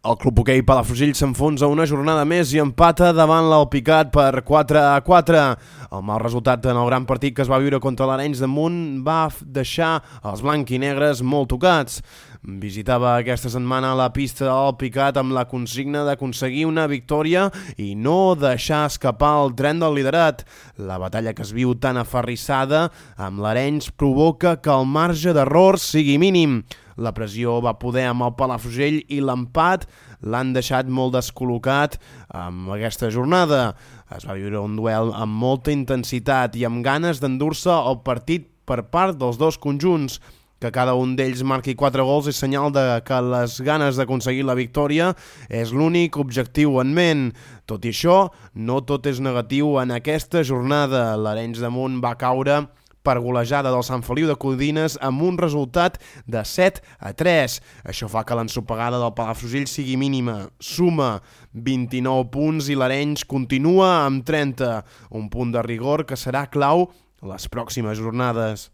El Club Hoquei Palafrugell s'enfonsa una jornada més i empata davant l'Alpicat per 4-4. El mal resultat en el gran partit que es va viure contra l'Arenys de Munt va deixar els blanc-i-negres molt tocats. Visitava aquesta setmana la pista de l'Alpicat amb la consigna d'aconseguir una victòria i no deixar escapar el tren del liderat. La batalla que es viu tan aferrissada amb l'Arenys provoca que el marge d'error sigui mínim. La pressió va poder amb el Palafrugell i l'empat l'han deixat molt descol·locat amb aquesta jornada. Es va viure un duel amb molta intensitat i amb ganes d'endur-se el partit per part dels dos conjunts. Que cada un d'ells marqui 4 gols és senyal de que les ganes d'aconseguir la victòria és l'únic objectiu en ment. Tot i això, no tot és negatiu en aquesta jornada. L'Arenys de Munt va caure per golejada del Sant Feliu de Codines amb un resultat de 7-3. Això fa que l'ensopegada del Palafrugell sigui mínima. Suma 29 punts i l'Arenys continua amb 30. Un punt de rigor que serà clau les pròximes jornades.